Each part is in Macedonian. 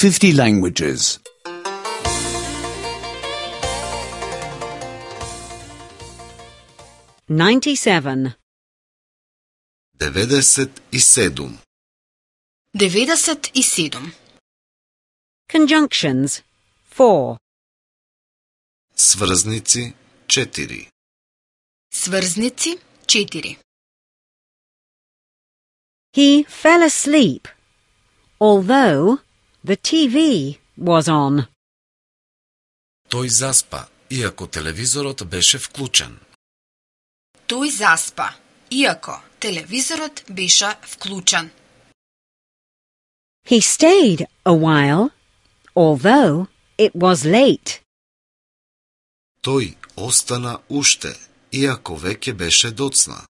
50 languages. 97. 97. 97. Conjunctions 4. Сврзници 4. Сврзници 4. He fell asleep, although the TV was on. Тој заспа, иако телевизорот беше вклучен. Тој заспа, иако телевизорот беше вклучен. He stayed a while, although it was late. Тој остана уште, иако веќе беше доцна.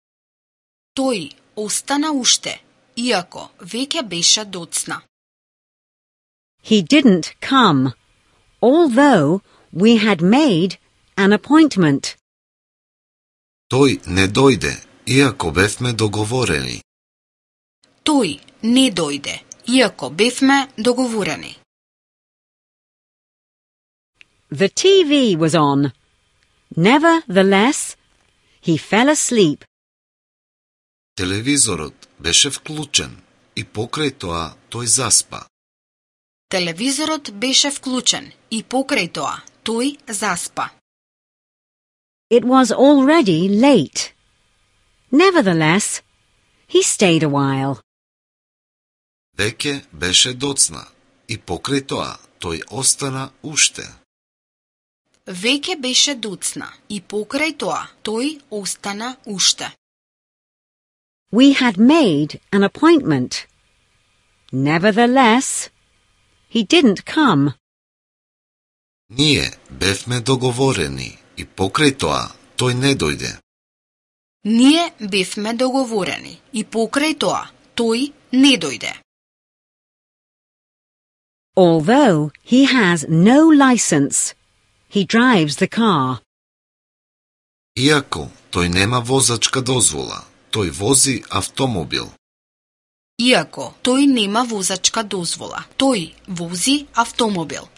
Тој остана уште, иако веќе беше доцна. He didn't come, although we had made an appointment. Тој не дојде, иако бевме договорени. Тој не дојде, иако бевме договорени. The TV was on. Nevertheless, he fell asleep. Телевизорот беше вклучен и покрај тоа тој заспа. Телевизорот беше вклучен и покрај тоа тој заспа. It was already late. Nevertheless, he stayed a while. Веќе беше доцна и покрај тоа тој остана уште. Веќе беше доцна и покрај тоа тој остана уште. We had made an appointment. Nevertheless, he didn't come. Ние бевме договорени и покрај тоа тој не дојде. Ние бевме договорени и покрај тоа тој не дојде. Although he has no license, he drives the car. Иако тој нема возачка дозвола, тој вози автомобил. Иако тој нема возачка дозвола, тој вози автомобил.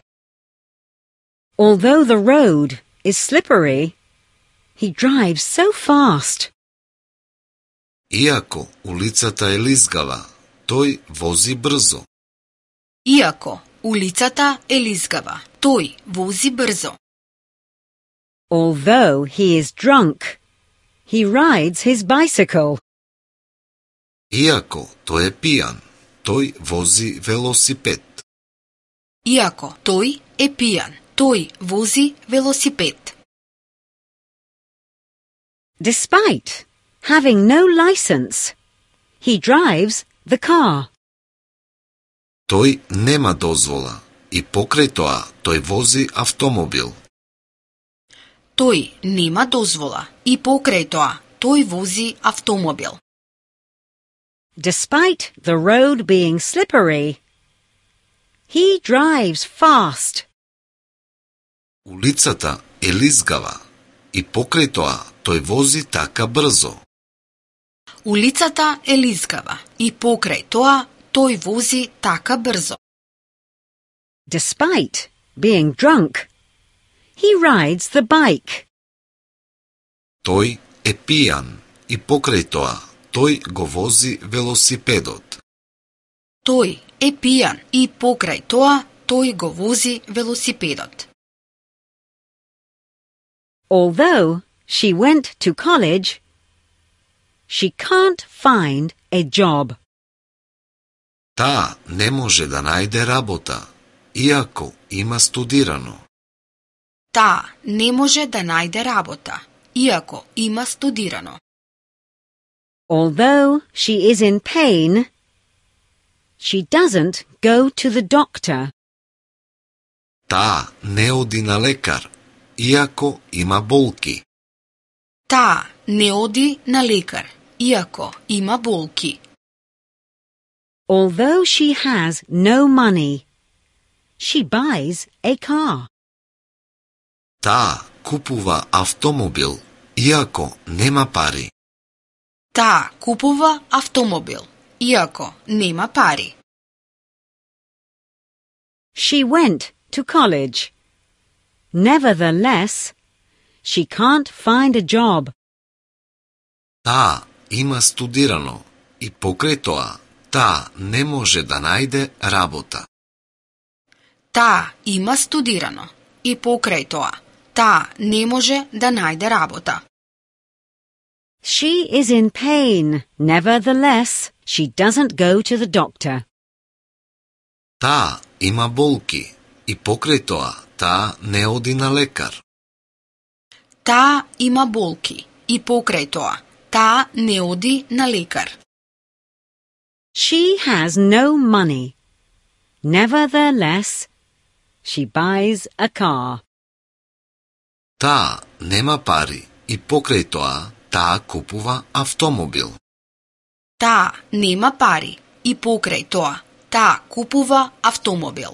Although the road is slippery, he drives so fast. Иако улицата е лизгава, тој вози брзо. Иако улицата е лизгава, тој вози брзо. Although he is drunk, he rides his bicycle. Иако тој е пијан, тој вози велосипед. Иако тој е пијан, тој вози велосипед. Despite having no license, he drives the car. Тој нема дозвола и покрај тоа тој вози автомобил. Тој нема дозвола и покрај тоа тој вози автомобил. Despite the road being slippery, he drives fast. Улицата е лизгава и покрај тоа тој вози така брзо. Улицата е лизгава и покрај тоа тој вози така брзо. Despite being drunk, he rides the bike. Тој е пијан и покрај тоа тој го вози велосипедот. Тој е пијан и покрај тоа тој го вози велосипедот. Although she went to college, she can't find a job. Таа не може да најде работа, иако има студирано. Таа не може да најде работа, иако има студирано. Although she is in pain, she doesn't go to the doctor. Таа не оди на лекар, иако има болки. Таа не оди на лекар, иако има болки. Although she has no money, she buys a car. Таа купува автомобил, иако нема пари. Таа купува автомобил, иако нема пари. She went to college. Nevertheless, she can't find a job. Таа има студирано и покрај тоа, таа не може да најде работа. Таа има студирано и покрај тоа, таа не може да најде работа. She is in pain. Nevertheless, she doesn't go to the doctor. Таа има болки и покрај тоа, таа не оди на лекар. Таа има болки и покрај тоа, таа не оди на лекар. She has no money. Nevertheless, she buys a car. Таа нема пари и покрај тоа, таа купува автомобил. Таа нема пари и покрај тоа, таа купува автомобил.